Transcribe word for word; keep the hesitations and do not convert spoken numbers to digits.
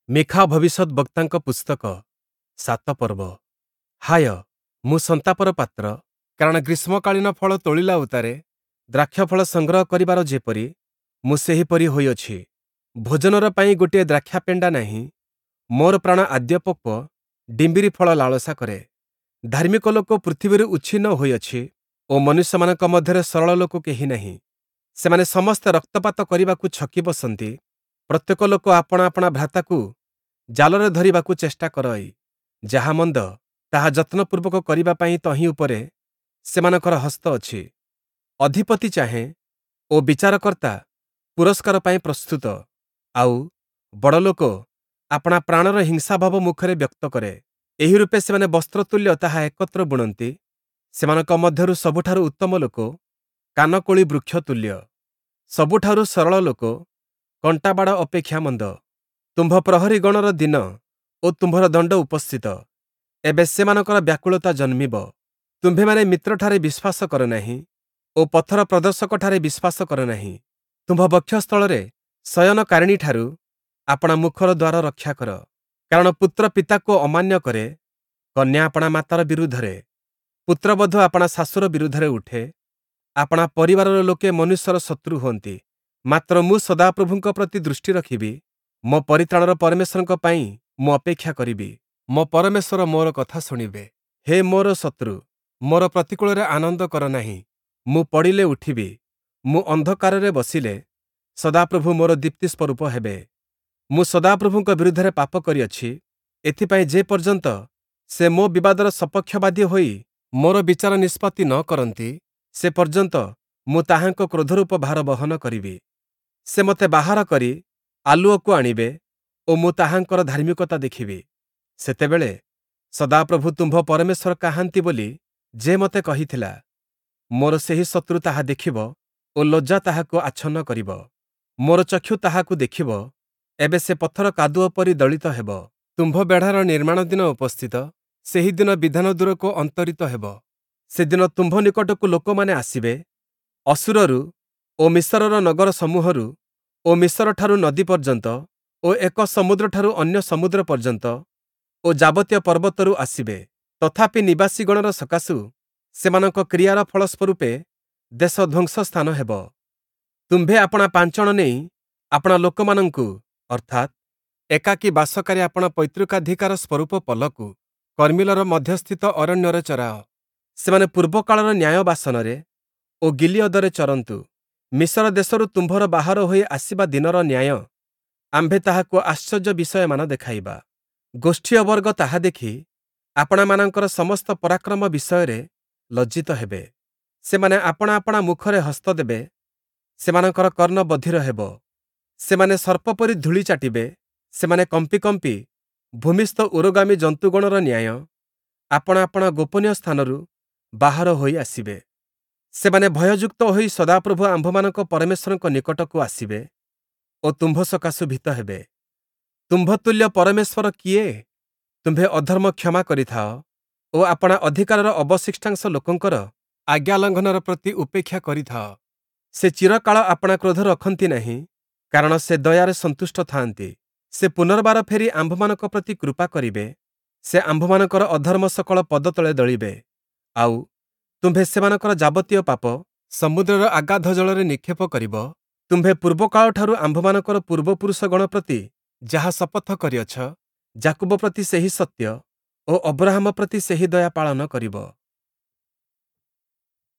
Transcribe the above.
ମୀଖା ଭବିଷ୍ୟଦ୍‌ବକ୍ତାଙ୍କ ପୁସ୍ତକ, ସାତ ପର୍ବ। ହାୟ, ମୁଁ ସନ୍ତାପର ପାତ୍ର, କାରଣ ଗ୍ରୀଷ୍ମକାଳୀନ ଫଳ ତୋଳିଲା ଉତ୍ତାରେ ଦ୍ରାକ୍ଷାଫଳ ସଂଗ୍ରହ କରିବାର ଯେପରି, ମୁଁ ସେହିପରି ହୋଇଅଛି। ଭୋଜନର ପାଇଁ ଗୋଟିଏ ଦ୍ରାକ୍ଷାପେଣ୍ଡା ନାହିଁ, ମୋର ପ୍ରାଣ ଆଦ୍ୟପକ୍ୱ ଡିମ୍ବିରି ଫଳ ଲାଳସା କରେ। ଧାର୍ମିକ ଲୋକ ପୃଥିବୀରୁ ଉଚ୍ଛିନ୍ନ ହୋଇଅଛି ଓ ମନୁଷ୍ୟମାନଙ୍କ ମଧ୍ୟରେ ସରଳ ଲୋକ କେହି ନାହିଁ। ସେମାନେ ସମସ୍ତେ ରକ୍ତପାତ କରିବାକୁ ଛକି ବସନ୍ତି, ପ୍ରତ୍ୟେକ ଲୋକ ଆପଣା ଆପଣା ଭ୍ରାତାକୁ ଜାଲରେ ଧରିବାକୁ ଚେଷ୍ଟା କରଇ। ଯାହା ମନ୍ଦ, ତାହା ଯତ୍ନପୂର୍ବକ କରିବା ପାଇଁ ତହିଁ ଉପରେ ସେମାନଙ୍କର ହସ୍ତ ଅଛି। ଅଧିପତି ଚାହେଁ ଓ ବିଚାରକର୍ତ୍ତା ପୁରସ୍କାର ପାଇଁ ପ୍ରସ୍ତୁତ, ଆଉ, ବଡ଼ଲୋକ ଆପଣା ପ୍ରାଣର ହିଂସାଭାବ ମୁଖରେ ବ୍ୟକ୍ତ କରେ। ଏହି ରୂପେ ସେମାନେ ବସ୍ତ୍ରତୁଲ୍ୟ ତାହା ଏକତ୍ର ବୁଣନ୍ତି, ସେମାନଙ୍କ ମଧ୍ୟରୁ ସବୁଠାରୁ ଉତ୍ତମ ଲୋକ କାନକୋଳି ବୃକ୍ଷ ତୁଲ୍ୟ, ସବୁଠାରୁ ସରଳ ଲୋକ କଣ୍ଟାବାଡ଼ ଅପେକ୍ଷା ମନ୍ଦ। ତୁମ୍ଭ ପ୍ରହରୀଗଣର ଦିନ ଓ ତୁମ୍ଭର ଦଣ୍ଡ ଉପସ୍ଥିତ, ଏବେ ସେମାନଙ୍କର ବ୍ୟାକୁଳତା ଜନ୍ମିବ। ତୁମ୍ଭେମାନେ ମିତ୍ରଠାରେ ବିଶ୍ୱାସ କର ନାହିଁ ଓ ପଥର ପ୍ରଦର୍ଶକଠାରେ ବିଶ୍ୱାସ କର ନାହିଁ। ତୁମ୍ଭ ବକ୍ଷସ୍ଥଳରେ ଶୟନକାରିଣୀଠାରୁ ଆପଣା ମୁଖର ଦ୍ୱାର ରକ୍ଷା କର। କାରଣ ପୁତ୍ର ପିତାକୁ ଅମାନ୍ୟ କରେ, କନ୍ୟା ଆପଣା ମାତାର ବିରୁଦ୍ଧରେ, ପୁତ୍ରବଧୂ ଆପଣା ଶାଶୁର ବିରୁଦ୍ଧରେ ଉଠେ, ଆପଣା ପରିବାରର ଲୋକେ ମନୁଷ୍ୟର ଶତ୍ରୁ ହୁଅନ୍ତି। ମାତ୍ର ମୁଁ ସଦାପ୍ରଭୁଙ୍କ ପ୍ରତି ଦୃଷ୍ଟି ରଖିବି, ମୋ ପରିତ୍ରାଣର ପରମେଶ୍ୱରଙ୍କ ପାଇଁ ମୁଁ ଅପେକ୍ଷା କରିବି। ମୋ ପରମେଶ୍ୱର ମୋର କଥା ଶୁଣିବେ। ହେ ମୋର ଶତ୍ରୁ, ମୋର ପ୍ରତିକୂଳରେ ଆନନ୍ଦ କର ନାହିଁ। ମୁଁ ପଡ଼ିଲେ ଉଠିବି, ମୁଁ ଅନ୍ଧକାରରେ ବସିଲେ ସଦାପ୍ରଭୁ ମୋର ଦୀପ୍ତି ସ୍ୱରୂପ ହେବେ। ମୁଁ ସଦାପ୍ରଭୁଙ୍କ ବିରୁଦ୍ଧରେ ପାପ କରିଅଛି, ଏଥିପାଇଁ ଯେ ପର୍ଯ୍ୟନ୍ତ ସେ ମୋ ବିବାଦର ସପକ୍ଷବାଦୀ ହୋଇ ମୋର ବିଚାର ନିଷ୍ପତ୍ତି ନ କରନ୍ତି, ସେ ପର୍ଯ୍ୟନ୍ତ ମୁଁ ତାହାଙ୍କ କ୍ରୋଧରୂପ ଭାର ବହନ କରିବି। ସେ ମୋତେ ବାହାର କରି ଆଲୁଅକୁ ଆଣିବେ ଓ ମୁଁ ତାହାଙ୍କର ଧାର୍ମିକତା ଦେଖିବି। ସେତେବେଳେ ସଦାପ୍ରଭୁ ତୁମ୍ଭ ପରମେଶ୍ୱର କାହାନ୍ତି ବୋଲି ଯେ ମୋତେ କହିଥିଲା, ମୋର ସେହି ଶତ୍ରୁ ତାହା ଦେଖିବ ଓ ଲଜ୍ଜା ତାହାକୁ ଆଚ୍ଛନ୍ନ କରିବ। ମୋର ଚକ୍ଷୁ ତାହାକୁ ଦେଖିବ, ଏବେ ସେ ପଥର କାଦୁଅ ପରି ଦଳିତ ହେବ। ତୁମ୍ଭ ବେଢ଼ାର ନିର୍ମାଣ ଦିନ ଉପସ୍ଥିତ, ସେହି ଦିନ ବିଧାନ ଦୂରକୁ ଅନ୍ତରିତ ହେବ। ସେଦିନ ତୁମ୍ଭ ନିକଟକୁ ଲୋକମାନେ ଆସିବେ, ଅଶୂରରୁ ଓ ମିଶରର ନଗର ସମୂହରୁ ଓ ମିଶରଠାରୁ ନଦୀ ପର୍ଯ୍ୟନ୍ତ ଓ ଏକ ସମୁଦ୍ରଠାରୁ ଅନ୍ୟ ସମୁଦ୍ର ପର୍ଯ୍ୟନ୍ତ ଓ ଯାବତୀୟ ପର୍ବତରୁ ଆସିବେ। ତଥାପି ନିବାସୀଗଣର ସକାଶୁ ସେମାନଙ୍କ କ୍ରିୟାର ଫଳ ସ୍ୱରୂପେ ଦେଶ ଧ୍ୱଂସ ସ୍ଥାନ ହେବ। ତୁମ୍ଭେ ଆପଣା ପାଞ୍ଚଣ ନେଇ ଆପଣା ଲୋକମାନଙ୍କୁ, ଅର୍ଥାତ୍, ଏକାକୀ ବାସକାରୀ ଆପଣା ପୈତୃକାଧିକାର ସ୍ୱରୂପ ପଲକୁ କର୍ମିଲର ମଧ୍ୟସ୍ଥିତ ଅରଣ୍ୟରେ ଚରାଅ। ସେମାନେ ପୂର୍ବକାଳର ନ୍ୟାୟ ବାସନରେ ଓ ଗିଲିୟଦରେ ଚରନ୍ତୁ। ମିଶର ଦେଶରୁ ତୁମ୍ଭର ବାହାର ହୋଇ ଆସିବା ଦିନର ନ୍ୟାୟ ଆମ୍ଭେ ତାହାକୁ ଆଶ୍ଚର୍ଯ୍ୟ ବିଷୟମାନ ଦେଖାଇବା। ଗୋଷ୍ଠୀୟ ବର୍ଗ ତାହା ଦେଖି ଆପଣାମାନଙ୍କର ସମସ୍ତ ପରାକ୍ରମ ବିଷୟରେ ଲଜ୍ଜିତ ହେବେ। ସେମାନେ ଆପଣା ଆପଣା ମୁଖରେ ହସ୍ତ ଦେବେ, ସେମାନଙ୍କର କର୍ଣ୍ଣ ବଧିର ହେବ। ସେମାନେ ସର୍ପ ପରି ଧୂଳି ଚାଟିବେ, ସେମାନେ କମ୍ପି କମ୍ପି ଭୂମିସ୍ଥ ଉରୋଗାମୀ ଜନ୍ତୁଗଣର ନ୍ୟାୟ ଆପଣା ଆପଣା ଗୋପନୀୟ ସ୍ଥାନରୁ ବାହାର ହୋଇ ଆସିବେ। ସେମାନେ ଭୟଯୁକ୍ତ ହୋଇ ସଦାପ୍ରଭୁ ଆମ୍ଭମାନଙ୍କ ପରମେଶ୍ୱରଙ୍କ ନିକଟକୁ ଆସିବେ ଓ ତୁମ୍ଭ ସକାଶୁ ଭୀତ ହେବେ। ତୁମ୍ଭ ତୁଲ୍ୟ ପରମେଶ୍ୱର କିଏ? ତୁମ୍ଭେ ଅଧର୍ମ କ୍ଷମା କରିଥାଅ ଓ ଆପଣା ଅଧିକାରର ଅବଶିଷ୍ଟାଂଶ ଲୋକଙ୍କର ଆଜ୍ଞାଲଙ୍ଘନର ପ୍ରତି ଉପେକ୍ଷା କରିଥାଅ। ସେ ଚିରକାଳ ଆପଣା କ୍ରୋଧ ରଖନ୍ତି ନାହିଁ, କାରଣ ସେ ଦୟାରେ ସନ୍ତୁଷ୍ଟ ଥାଆନ୍ତି। ସେ ପୁନର୍ବାର ଫେରି ଆମ୍ଭମାନଙ୍କ ପ୍ରତି କୃପା କରିବେ, ସେ ଆମ୍ଭମାନଙ୍କର ଅଧର୍ମ ସକଳ ପଦତଳେ ଦଳିବେ। ଆଉ, ତୁମ୍ଭେ ସେମାନଙ୍କର ଯାବତୀୟ ପାପ ସମୁଦ୍ରର ଅଗାଧ ଜଳରେ ନିକ୍ଷେପ କରିବ। ତୁମ୍ଭେ ପୂର୍ବକାଳଠାରୁ ଆମ୍ଭମାନଙ୍କର ପୂର୍ବପୁରୁଷଗଣ ପ୍ରତି ଯାହା ଶପଥ କରିଅଛ, ଯାକୁବ ପ୍ରତି ସେହି ସତ୍ୟ ଓ ଅବ୍ରହାମ ପ୍ରତି ସେହି ଦୟା ପାଳନ କରିବ।